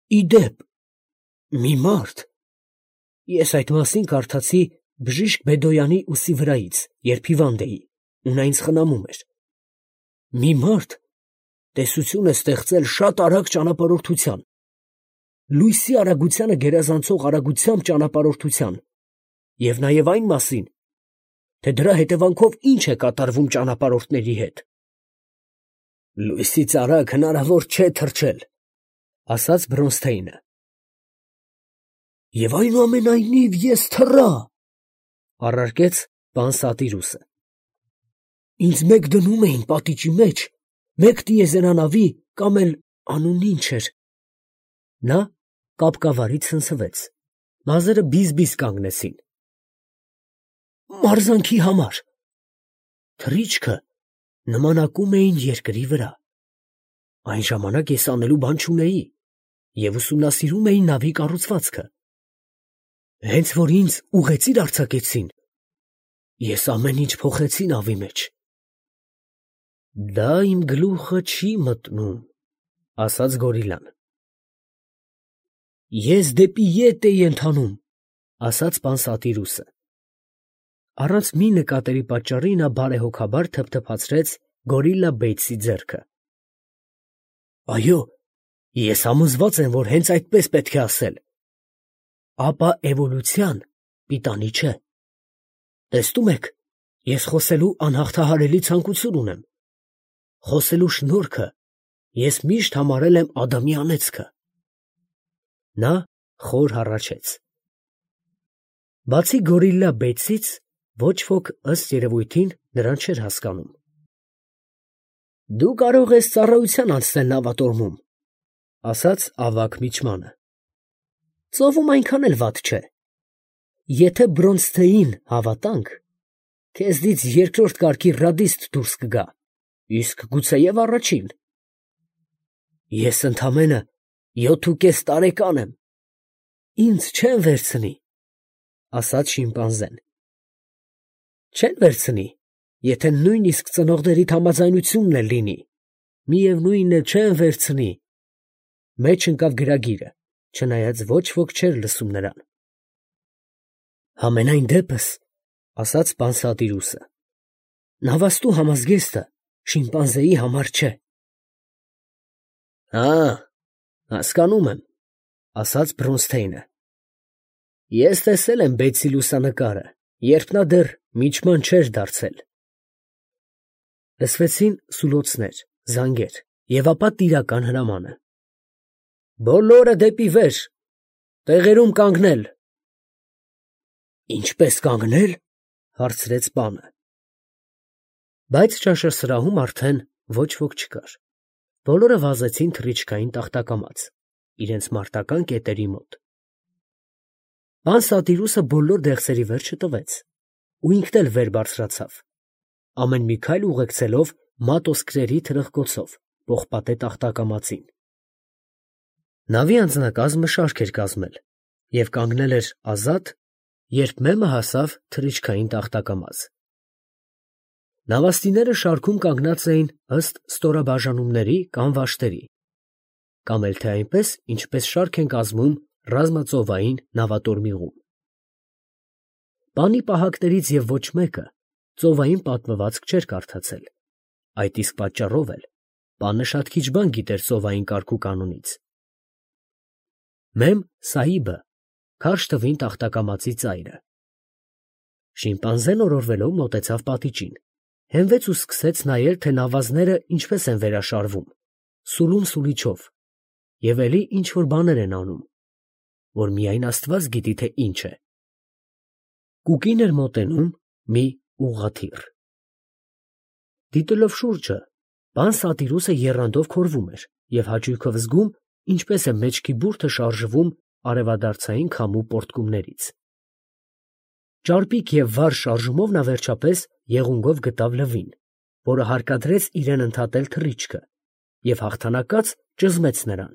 Իդեպ, մի մարդ, ես այդ մասին կարդացի Բժիշկ Բեդոյանի ուսի վրայից, երբ հիվանդ էի, ու նա ինձ խնամում էր. մի մարդ տեսություն է ստեղծել շատ արագ ճանապարհորդության, լույսի արագությանը գերազանցող արագությամբ ճանապարհորդության, և նաև այն մասին, թե դրա հետևանքով ինչ է կատարվում ճանապարհորդների հետ։ Լույսից արագ հնարավոր չէ թռչել, ասաց Բրոնսթեյնը։ Եվ այնուամենայնիվ ես թռա, առարկեց պան Սատիրուսը։ Ինձ մեկ դնում էին պատիճի մեջ, մեկ տիեզերանավի կամ էլ անունն ինչ էր։ Նա կապկավարից ցնցվեց, մազերը բիզ-բիզ կանգնեցին։ Մարզանքի համար։ Թռիչքը նմանակում էին երկրի վրա։ Այն ժամանակ ես անելու բան չունեի և ուսումնասիրում էի նավի կառուցվածքը։ Հենց որ ինձ ուղեծիր արձակեցին, ես ամեն ինչ փոխեցի նավի մեջ։ Դա իմ գլուխը չի մտնում, ասաց գորիլան։ Ես դեպի ետ էի ընթանում, ասաց պան Սատիրուսը։ Առանց մի նկատելի պատճառի նա բարեհոգաբար թփթփացրեց գորիլլա Բեյթսի ձեռքը։ Այո, ես համոզված եմ, որ հենց այդպես պետք է ասել։ Ապա էվոլյուցիան պիտանի չէ։ Տեսնում եք, ես խոսելու անհաղթահարելի ցանկություն ունեմ։ Խոսելու շնորհքը ես միշտ համարել եմ Ադամի անեծքը։ Նա խոր հառաչեց։ Բացի գորիլլա Բեյթսից, ոչ ոք ըստ երևույթին նրան չէր հասկանում։ Դու կարող ես ծառայության անցնել նավատորմում, ասաց ավագ միջմանը։ Ծովում այնքան էլ վատ չէ։ Եթե Բրոնսթեյին հավատանք, քեզնից երկրորդ կարգի ռադիստ դուրս կգա, իսկ գուցեև առաջին։ Ես ընդամենը 7.5 տարեկան եմ։ Ինձ չեն վերցնի, ասաց շիմպանզեն։ Չեն վերցնի, եթե նույնիսկ ծնողներիդ համաձայնությունն էլ լինի, միևնույն է, չեն վերցնի, մեջ ընկավ գրագիրը, չնայած ոչ ոք չէր լսում նրան։ Համենայն դեպս, ասաց պան Սատիրուսը, նավաստու համազգեստը շիմպանզեի համար չէ։ Հասկանում եմ, ասաց Բրոնսթեյնը։ Ես տեսել եմ Բեյթսի լուսանկարը, երբ նա դեռ միջման չէր դարձել։ Լսվեցին սուլոցներ, զանգեր և ապա տիրական հրամանը։ Բոլորը դեպի վեր, տեղերում կանգնել։ Ինչպես կանգնել, հարցրեց պանը։ Բայց ճաշասրահում արդեն ոչ ոք չկար։ Բոլորը վազեցին թռիչքային տախտակամաց, իրենց մարտական կետերի մոտ։ Պան Սատիրուսը բոլոր դեղցերի վերջը տվեց, ու ինքն էլ վեր բարձրացավ, ամեն մի քայլ ուղեկցելով մատոսկրերի թրխկոցով պողպատե տախտակամածին։ Նավի անձնակազմը շարք էր կազմել և կանգնել էր ազատ, երբ մեմը հասավ թռիչքային տախտակամաց։ Նավաստիները շարքում կանգնած էին ըստ ստորաբաժանումների կամ վաշտերի, կամ էլ թե այնպես, ինչպես շարք են կազմում ռազմածովային նավատորմիղում։ Պանի պահակներից և ոչ մեկը ծովային պատմվածք չէր կարդացել, այդ իսկ պատճառով էլ պանը շատ քիչ բան գիտեր ծովային կարգու կանոնից։ Մեմ Սահիբը քարշ տվին տախտակամածի ծայրը։ Շիմպանզեն օրորվելով մոտեցավ պատիճին, հենվեց ու սկսեց նայել, թե նավազները ինչպես են վերաշարվում, սուլում սուլիչով, և էլի ինչ֊որ բաներ են անում, որ միայն Աստված գիտի, թե ինչ է։ Կուկին էր մոտենում մի ուղղաթիռ։ Դիտելով շուրջը, պան Սատիրուսը եռանդով քորվում էր և հաճույքով զգում, ինչպես է մեջքի բուրդը շարժվում արևադարձային քամու պոռթկումներից։ Ճարպիկ և վառ շարժումով նա վերջապես եղունգով գտավ լվին, որը հարկադրեց իրեն ընդհատել թռիչքը և հաղթանակած ճզմեց նրան։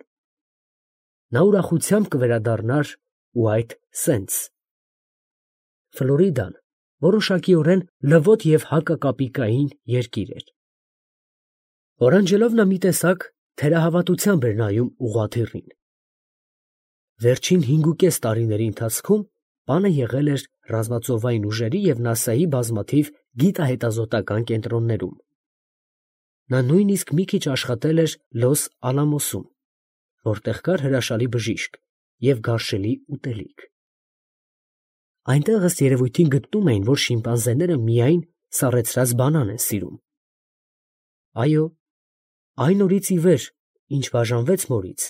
Նա ուրախությամբ կվերադառնար ու այդ սենց։ Ֆլորիդան որոշակիորեն լվոտ և հակակապիկային երկիր էր։ Օրանջելով նա մի տեսակ թերահավատությամբ էր նայում ուղղաթիռին։ Վերջին 5.5 տարիների ընթացքում պանը եղել էր ռազմածովային ուժերի և ՆԱՍԱ-ի բազմաթիվ գիտահետազոտական կենտրոններում։ Նա նույնիսկ մի քիչ աշխատել էր Լոս Ալամոսում, որտեղ կար հրաշալի բժիշկ և գարշելի ուտելիք։ Այնտեղ ըստ երևույթին գտնում էին, որ շիմպանզեները միայն սառեցրած բանան են սիրում։ Այո, այն օրից ի վեր, ինչ բաժանվեց մորից,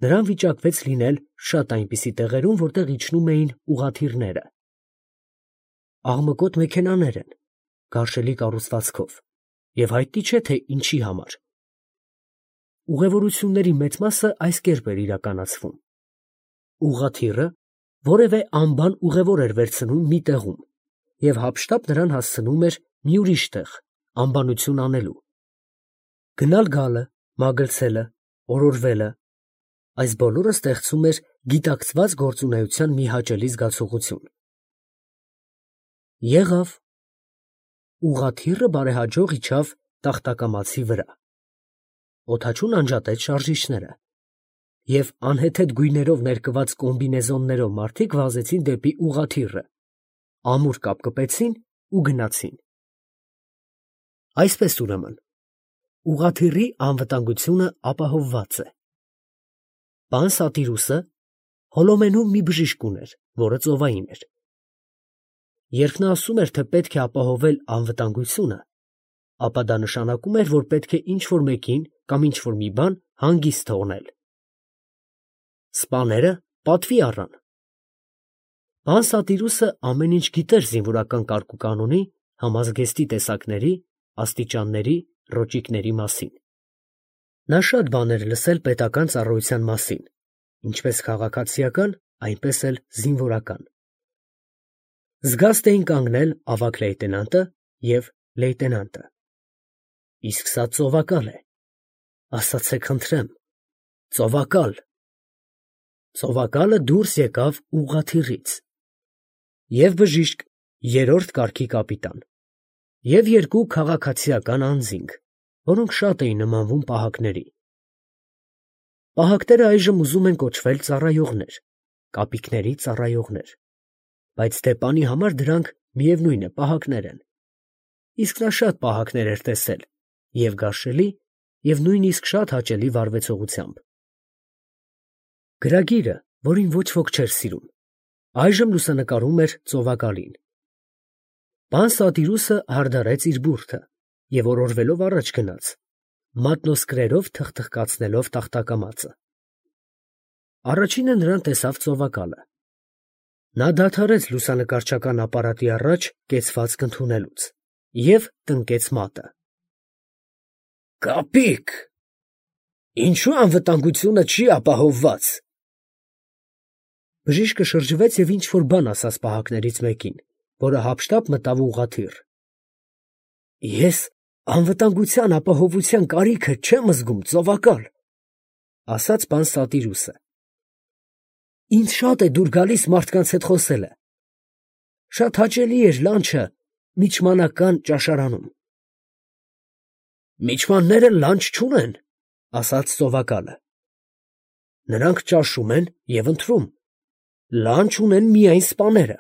նրան վիճակվեց լինել շատ այնպիսի տեղերում, որտեղ իջնում էին ուղղաթիռները։ Աղմկոտ մեքենաներ են, գարշելի կառուցվածքով, և հայտնի չէ, թե ինչի համար։ Ուղևորությունների մեծ մասը այս կերպ էր իրականացվում. ուղղաթիռը որևէ անբան ուղևոր էր վերցնում մի տեղում և հափշտապ նրան հասցնում էր մի ուրիշ տեղ, անբանություն անելու։ Գնալ֊գալը, մագլցելը, օրորվելը, այս բոլորը ստեղծում էր գիտակցված գործունեության մի հաճելի զգացողություն։ Եղավ. ուղղաթիռը բարեհաջող իջավ տախտակամածի վրա։ Օդաչուն անջատեց շարժիչները, և անհեթեթ գույներով ներկված կոմբինեզոններով մարդիկ վազեցին դեպի ուղղաթիռը, ամուր կապկպեցին ու գնացին։ Այսպես ուրեմն, ուղղաթիռի անվտանգությունը ապահովված է։ Պան Սատիրուսը Հոլոմենում մի բժիշկ ուներ, որը ծովային էր։ Երբ նա ասում էր, թե պետք է ապահովել անվտանգությունը, ապա դա նշանակում էր, որ պետք է ինչ-որ մեկին կամ ինչ-որ մի բան հանգիստ թողնել։ Սպաները պատվի առան։ Պան Սատիրուսը ամեն ինչ գիտեր զինվորական կարգուկանոնի, համազգեստի տեսակների, աստիճանների, ռոճիկների մասին։ Նա շատ բաներ լսել պետական ծառայության մասին, ինչպես քաղաքացիական, այնպես էլ զինվորական։ Զգաստ էին կանգնել ավագ լեյտենանտը և լեյտենանտը։ Իսկ սա ծովակալ է, ասացե խնդրեմ, ծովակալ։ Ծովակալը դուրս եկավ ուղղաթիռից։ Եվ բժիշկ, երրորդ կարգի կապիտան, և երկու քաղաքացիական անձինք, որոնք շատ էին նմանվում պահակների։ Պահակները այժմ ուզում են կոչվել ծառայողներ, կապիկների ծառայողներ, բայց Ստեփանի համար դրանք, միևնույն է, պահակներ են։ Իսկ նա շատ պահակներ էր տեսել, և գարշելի, և նույնիսկ շատ հաճելի վարվեցողությամբ։ Գրագիրը, որին ոչ ոք չէր սիրում, այժմ լուսանկարում էր ծովակալին։ Պան Սատիրուսը հարդարեց իր բուրդը և օրորվելով առաջ գնաց, մատնոսկրերով թխթխկացնելով տախտակամածը։ Առաջինը նրան տեսավ ծովակալը։ Նա դադարեց լուսանկարչական ապարատի առաջ կեցվածք ընդունելուց և տնկեց մատը։ Կապիկ, ինչու անվտանգությունը չի ապահովված։ Բժիշկը շրջվեց և ինչ-որ բան ասաց պահակներից մեկին, որը հափշտապ մտավ ուղղաթիռ։ Ես անվտանգության ապահովության կարիքը չեմ զգում, ծովակալ, ասաց պան Սատիրուսը։ Ինձ շատ է դուր գալիս մարդկանց հետ խոսելը։ Շատ հաճելի էր լանչը միջմանական ճաշարանում։ Միջմանները լանչ չունեն, ասաց ծովակալը։ Նրանք ճաշում են և ընթրում, լանչ ունեն միայն սպաները։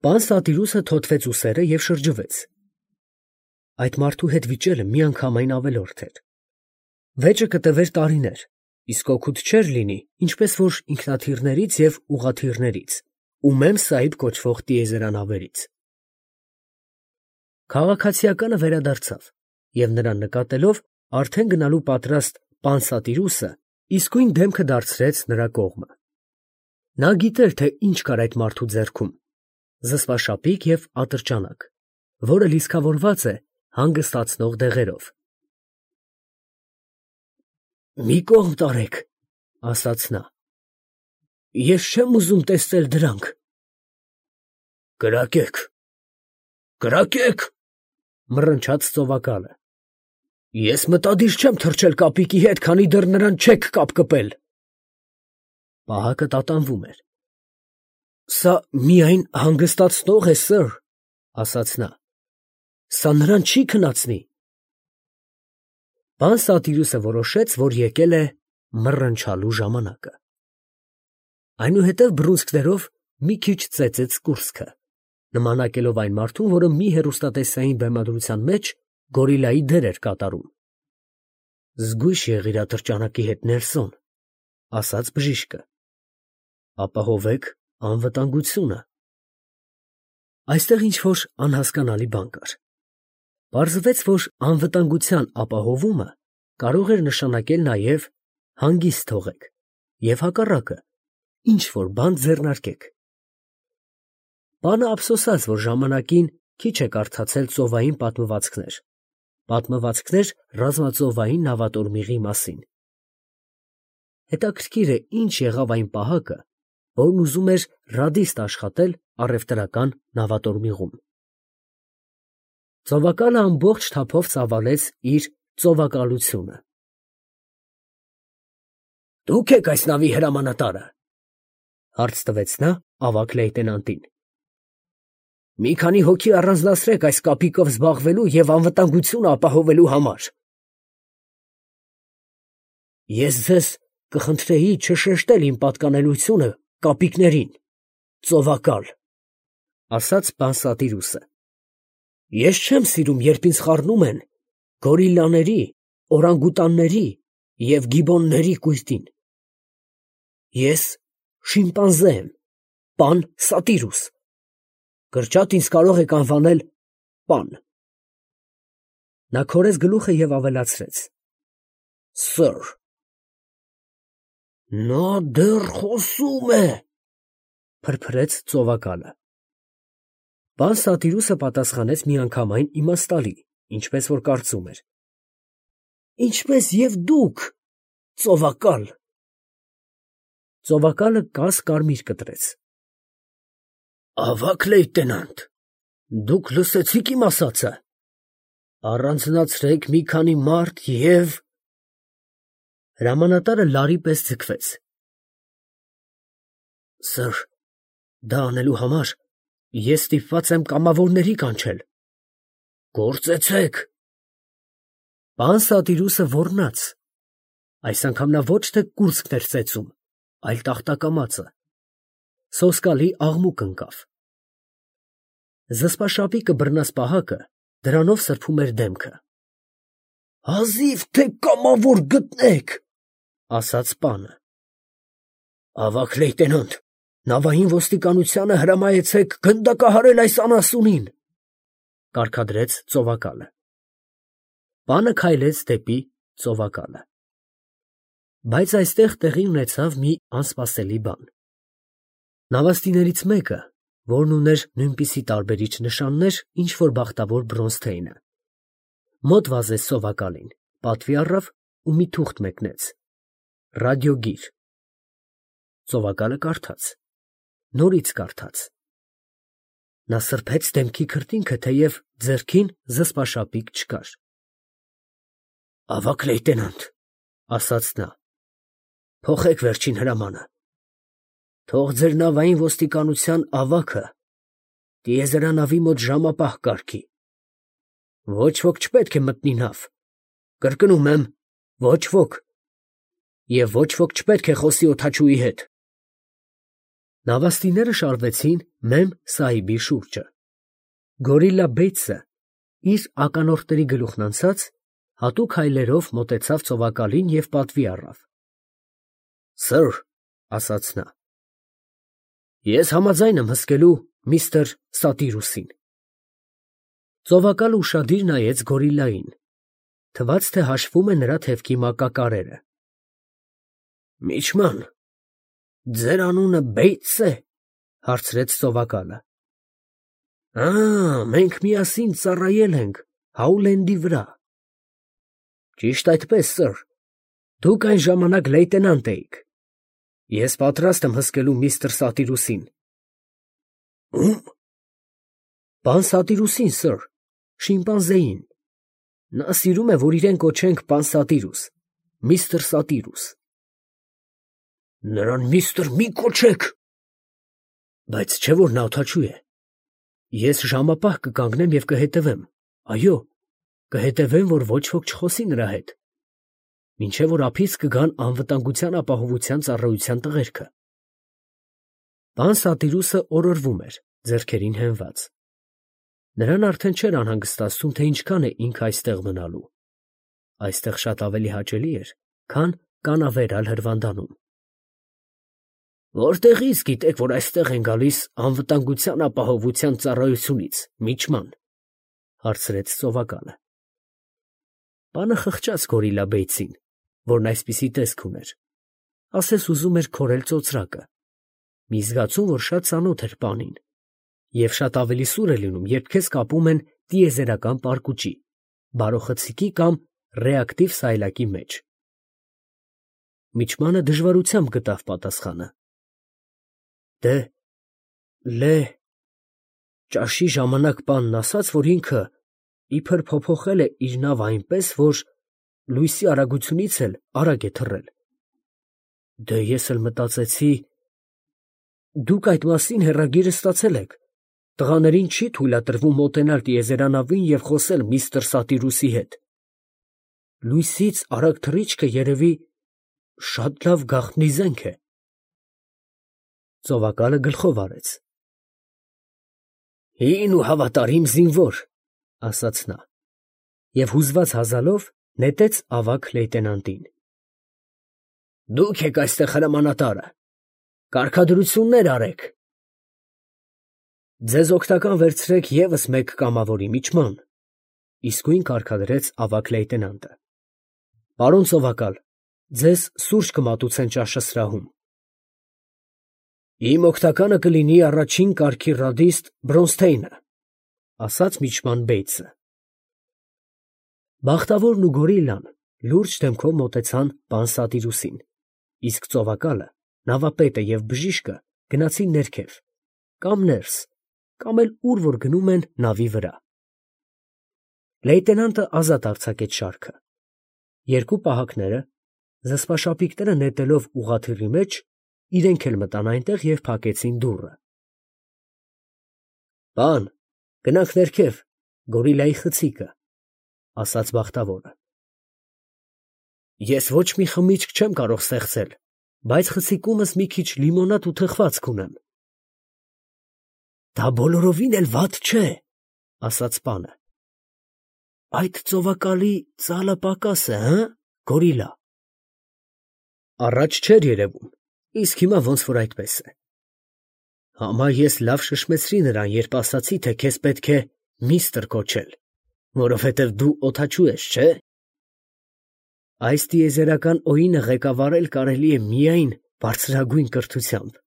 Պան Սատիրուսը թոթվեց ուսերը և շրջվեց։ Այդ մարդու հետ վիճելը միանգամայն ավելորդ էր։ Վեճը կտևեր տարիներ, իսկ օգուտ չէր լինի, ինչպես որ ինքնաթիռներից և ուղղաթիռներից ու Մեմ Սահիբ կոչվող տիեզերանավերից։ Քաղաքացիականը վերադարձավ և նրան նկատելով արդեն գնալու պատրաստ պան Սատիրուսը իսկույն դեմքը դարձրեց նրա կողմը։ Նա գիտեր, թե ինչ կար այդ մարդու ձեռքում. զսպաշապիկ և ատրճանակ, որը լիցքավորված է հանգստացնող դեղերով։ Մի կողմ տարեք, ասաց նա, ես չեմ ուզում տեսնել դրանք։ Կրակեք, կրակեք, մռնչաց ծովակալը։ Ես մտադիր չեմ թռչել կապիկի հետ, քանի դեռ նրան չեք կապկպել։ Պահակը տատանվում էր։ Սա միայն հանգստացնող է, սըր, ասաց նա։ Սա նրան չի քնացնի։ Պան Սատիրուսը որոշեց, որ եկել է մռնչալու ժամանակը։ Այնուհետև բռունցքներով մի քիչ ծեծեց կուրծքը, նմանակելով այն մարդուն, որը մի հեռուստատեսային բեմադրության մեջ գորիլայի դեր էր կատարում։ «Զգույշ եղիր ատրճանակի հետ, Նելսոն», ասաց բժիշկը։ «Ապահովեք անվտանգությունը»։ Այստեղ ինչ-որ անհասկանալի բան կար։ Պարզվեց, որ անվտանգության ապահովումը կարող էր նշանակել նաև հանգիստ թողեք և հակառակը, ինչ-որ բան ձեռնարկեք։ Պանը ափսոսաց, որ ժամանակին քիչ է կարդացել ծովային պատմվածքներ ռազմածովային նավատորմիղի մասին։ Հետաքրքիր է, ինչ եղավ այն պահակը, որն ուզում էր ռադիստ աշխատել առևտրական նավատորմիղում։ Ծովակալը ամբողջ թափով ծավալեց իր ծովակալությունը։ «Դուք եք այս նավի հրամանատարը», հարց տվեց նա ավագ լեյտենանտին։ «Մի քանի հոգի առանձնացրեք այս կապիկով զբաղվելու և անվտանգությունը ապահովելու համար»։ «Ես ձեզ կխնդրեի չշեշտել իմ պատկանելությունը կապիկներին, ծովակալ», ասաց Պանսատիրուսը։ «Ես չեմ սիրում, երբ ինձ խառնում են գորիլլաների, օրանգուտանների և գիբոնների կույտին։ Ես շիմպանզե եմ, պան Սատիրուս. կրճատ ինձ կարող եք անվանել պան»։ Նա քորեց գլուխը և ավելացրեց. «Սըր»։ «Նա դեռ խոսում է», փրփրեց ծովակալը։ Պան Սատիրուսը պատասխանեց միանգամայն իմաստալի, ինչպես որ կարծում էր. «Ինչպես և դուք, ծովակալ»։ Ծովակալը կաս֊կարմիր կտրեց։ «Ավագ լեյտենանտ, դուք լսեցի՞ք իմ ասածը։ Առանձնացրեք մի քանի մարդ և…» Հրամանատարը լարի պես ձգվեց։ «Սըր, դա անելու համար ես ստիպված եմ կամավորների կանչել»։ «Գործեցեք»։ Պան Սատիրուսը ոռնաց։ Այս անգամ նա ոչ թե կուրծքն էր ծեծում, այլ տախտակամածը։ Սոսկալի աղմուկ ընկավ։ Զսպաշապիկը բռնած պահակը դրանով սրբում էր դեմքը։ «Հազիվ թե կամավոր գտնեք», ասաց պանը։ «Ավագ լեյտենանտ, նավային ոստիկանությանը հրամայեցեք գնդակահարել այս անասունին», կարգադրեց ծովակալը։ Պանը քայլեց դեպի ծովակալը։ Բայց այստեղ տեղի ունեցավ մի անսպասելի բան։ Նավաստիներից մեկը, որն ուներ նույնպիսի տարբերիչ նշաններ, ինչ որ բախտավոր Բրոնզթեյնը, մոտ վազեց ծովակալին, պատվի առավ ու մի թուղթ մեկնեց։ Ռադիոգիր։ Ծովակալը կարդաց, նորից կարդաց։ Նա սրբեց դեմքի քրտինքը, թեև ձեռքին զսպաշապիկ չկար։ «Ավագ լեյտենանտ», ասաց նա, «փոխեք վերջին հրամանը։ Թող ձեր նավային ոստիկանության ավագը տիեզերանավի մոտ ժամապահ կարգի։ Ոչ ոք չպետք է մտնի նավ։ Կրկնում եմ, ոչ ոք։ Եվ ոչ ոք չպետք է խոսի օդաչուի հետ»։ Նավաստիները շարվեցին Մեմ Սահիբի շուրջը։ Գորիլլա Բեյթսը, իր ականորտերի գլուխն անցած, հատուկ հայլերով մոտեցավ ծովակալին և պատվի առավ։ «Սըր», ասաց նա, «ես համաձայն եմ հսկելու միստր Սատիրուսին»։ Ծովակալը ուշադիր նայեց գորիլլային, թվաց, թե հաշվում է նրա թևքի մակակարերը։ «Միջման, ձեր անունը Բեյթս է, հարցրեց ծովակալը։ Մենք միասին ծառայել ենք Հաուլենդի վրա։ Ճիշտ այդպես, սըր, դուք այն ժամանակ լեյտենանտ էիք։ Ես պատրաստ եմ հսկելու միստր Սատիրուսին։ Ում։ Պան Սատիրուսին, սըր, շիմպանզեին։ Նա սիրում է, որ իրեն կոչենք պան Սատիրուս, միստր Սատիրուս։ Նրան միստր մի կոչեք։ Բայց չէ՞ որ նա օդաչու է։ Ես ժամապահ կկանգնեմ և կհետևեմ, այո, կհետևեմ, որ ոչ ոք չխոսի նրա հետ, մինչև որ ափից կգան անվտանգության ապահովության ծառայության տղերքը։ Պան Սատիրուսը օրորվում էր, ձեռքերին հենված։ Նրան արդեն չէր անհանգստացնում, թե ինչքան է ինքը այստեղ մնալու։ Այստեղ շատ ավելի հաճելի էր, քան կանավերալ Հրվանդանում։ Որտեղի՞ց գիտեք, որ այստեղ են գալիս անվտանգության ապահովության ծառայությունից, միջման, հարցրեց ծովակալը։ Պանը խղճաց Գորիլա Բեյցին, որն այսպիսի տեսք ուներ, ասես ուզում էր քորել ծոծրակը, մի զգացում, որ շատ ծանոթ էր պանին, և շատ ավելի սուր է լինում, երբ քեզ կապում են տիեզերական պարկուճի, բարոխցիկի կամ ռեակտիվ սայլակի մեջ։ Միջմանը դժվարությամբ գտավ պատասխանը։ Դե, ճաշի ժամանակ պանն ասաց, որ ինքը իբր փոփոխել է իր նավը այնպես, որ լույսի արագությունից էլ արագ է թռել։ Դե ես էլ մտածեցի, դուք այդ մասին հեռագիրը ստացել եք, տղաներին չի թույլատրվում մոտենալ տիեզերանավին և խոսել միստր Սատիրուսի հետ։ Լույսից արագ թռիչքը երևի շատ լավ գաղտնի զենք է։ Ծովակալը գլխով արեց։ Հին ու հավատարիմ զինվոր, ասաց նա, և հուզված հազալով նետեց ավագ լեյտենանտին։ Դուք եք այստեղ հրամանատարը, կարգադրություններ արեք։ Ձեզ օգնական վերցրեք ևս մեկ կամավորի, միջման, իսկույն կարգադրեց ավագ լեյտենանտը։ Պարոն ծովակալ, ձեզ սուրճ կմատուցեն ճաշը սրահում։ Իմ օգնականը կլինի առաջին կարգի ռադիստ Բրոնստեյնը, ասաց միջման Բեյցը։ Բախտավորն ու Գորիլլան լուրջ դեմքով մոտեցան պան Սատիրուսին, իսկ ծովակալը, նավապետը և բժիշկը գնացին ներքև, կամ ներս, կամ էլ ուր որ գնում են նավի վրա։ Լեյտենանտը ազատ արձակեց շարքը։ Երկու պահակները, զսպաշապիկները նետելով ուղղաթիռի մեջ, իրենք էլ մտան այնտեղ և փակեցին դուռը։ Պան, գնանք ներքև, Գորիլայի խցիկը, ասաց բախտավորը։ Ես ոչ մի խմիչք չեմ կարող ստեղծել, բայց խցիկումս մի քիչ լիմոնադ ու թխվածք ունեմ։ Դա բոլորովին էլ վատ չէ, ասաց պանը։ Այդ ծովակալի ծալը պակաս է, հը, Գորիլա։ Առաջ չէր երևում, իսկ հիմա ոնց որ այդպես է։ Համա ես լավ շշմեցրի նրան, երբ ասացի, թե քեզ պետք է միստր կոչել, որովհետև դու օդաչու ես, չէ։ Այս տիեզերական օինը ղեկավարել կարելի է միայն բարձրագույն կրթությամբ։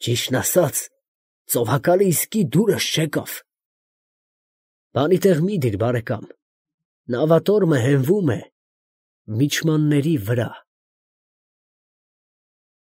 Ճիշտն ասած, ծովակալը իսկի դուրս չեկավ։ Բանի տեղ մի դիր, բարեկամ, նավատորմը հենվում է միջմանների վրա։